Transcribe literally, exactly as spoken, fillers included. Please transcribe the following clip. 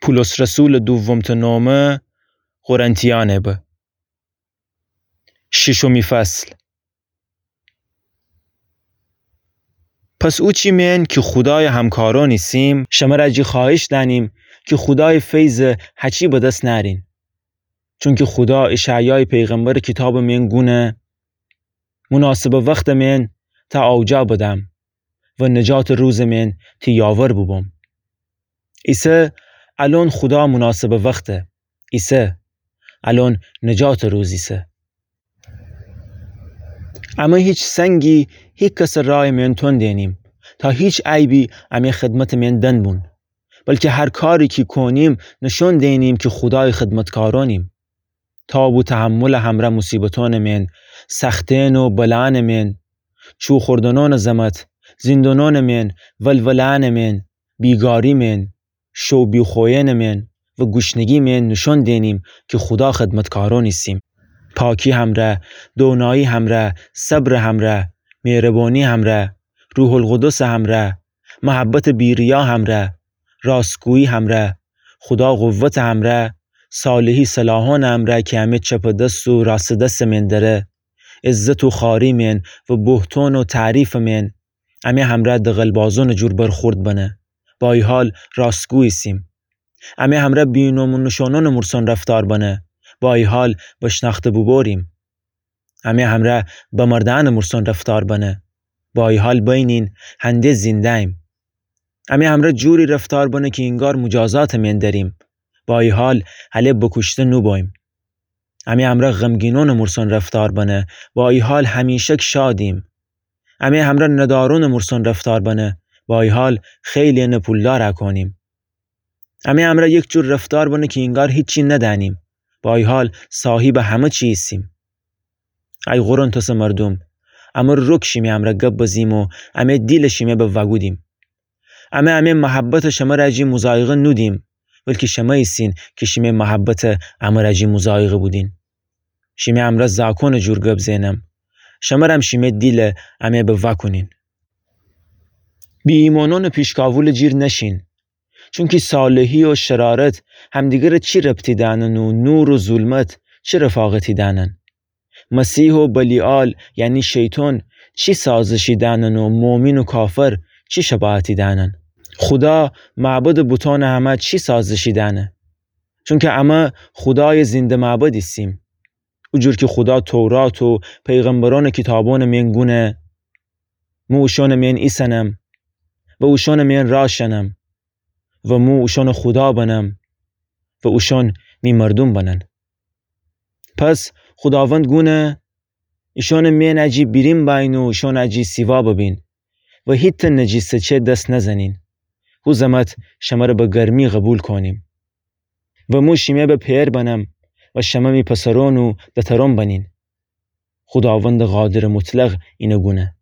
پولس رسولٚ دومٚ نامه قرنتیأنٚ به. شیشمی فصل. پس اوچی مئن کی خودایٚ همکارأن ایسیم، شمر جی خوأهش دأنیم کی خودایٚ فیض هچی به دس نأرین. چونکی خودا اشعیایٚ پیغمبرٚ کیتابٚ مئن گونه: مناسبٚ وختٚ مئن تأ آوجا بدم و نجاتٚ روزٚ مئن تی یاور بوبوم. ایسه الأن خودا مناسبٚ وخته. ایسه الأن نجاتٚ روز ایسه. امه هیچ سنگی هیکسٚ رایٚ مئن تون دئنیم، تا هیچ عیبی امه خدمتٚ مئن دن بون، بلکی هر کاری کی کونیم نشون دئنیم کی خودایٚ خدمتکارأنیم. تاب و تحملٚ همرأ موصیبتأنٚ مئن، سختئن و بلأنٚ مئن، چوخوردنأنٚ زمت، زیندونأنٚ مئن، ولولأنٚ مئن، بیگاری مئن، شو بیخوینٚ مئن و گوشنگی مئن نشون دئنیم کی خودا خدمتکارأن ایسیم. پاکی همرأ، دونایی همرأ، صبرٚ همرأ، مهربانی همرأ، روح‌القدسٚ همرأ، محبتٚ بی‌ریا همرأ، راستگویی همرأ، خودا قوتٚ همرأ، صالحی سلاحأنٚ همرأ کی امه چپٚ دس و راستٚ دسٚ مئن دره، عزت و خواری مئن و بهتان و تعریفٚ مئن، امه همرأ دغلبازأنٚ جور برخورد بنه. با ای حال راستگو ایسیم. امه همرأ بی‌نام و نشانأنٚ مورسان رفتار بنه. با ای حال بشنأخته بوبوریم. امه همرأ بمردأنٚ مورسان رفتار بنه. با ای حال بینین هنده زینده‌ییم. امه همرأ جوری رفتار بنه کی اینگار مجازاتٚ مئن دریم. با ای حال هله بکوشته نوبوییم. امه همرأ غمگینأنٚ مورسان رفتار بنه. با ای حال همیشک شادیم. امه همرأ ندارأنٚ مورسان رفتار بنه. با ای حال خیلی‌یأنٚ پولدار کونیم. امه همرأ یک جور رفتار بنه کی اینگار هیچی ندأنیم. با ای حال صاحیبٚ همه چی ایسیم. ای قرنتسٚ مردوم، امه رک شیمه همرأ گب بزیم و امه دیل شیمه به وأگودیم. امه امه محبتٚ شمر جی مضایقه نودیم، بلکی شمه ایسین کی شیمه محبتٚ امر جی مضایقه بودین. شیمه همرأ زاکونٚ جور گب زئنم. شمرم شیمه دیل امه به وأکونین. بی‌ایمانأنٚ پیشکاولٚ جیر نشین. چونکی صالحی و شرارت همدیگرٚ چی ربطی دأنن و نور و ظلمت چی رفاقتی دأنن؟ مسیح و بلیعال، یعنی شیطان، چی سازشی دأنن و مؤمن و کافر چی شباهتی دأنن؟ خودا معبدٚ بوتأنٚ همه چی سازشی دأنه؟ چونکی امه خودایٚ زنده معبد ایسیم. او جور کی خودا تورات و پیغمبرأنٚ کیتابأنٚ مئن گونه: مو اوشأنٚ مئن ایسنم و اوشأنٚ مئن راه شنم و مو اوشأنٚ خودا بنم و اوشأن می مردوم بنن. پس خوداوند گونه: ایشأنٚ مئن جی بیرین بأیین و اوشأن جی سیوا ببین و هیتأ نجیسٚ چه دس نزنین. هو زمت شمر به گرمی قوبیل کونیم و مو شیمه به پئر بنم و شمه می پسرأن و دترأن بنین. خوداوندٚ قادرٚ مطلق اینه گونه.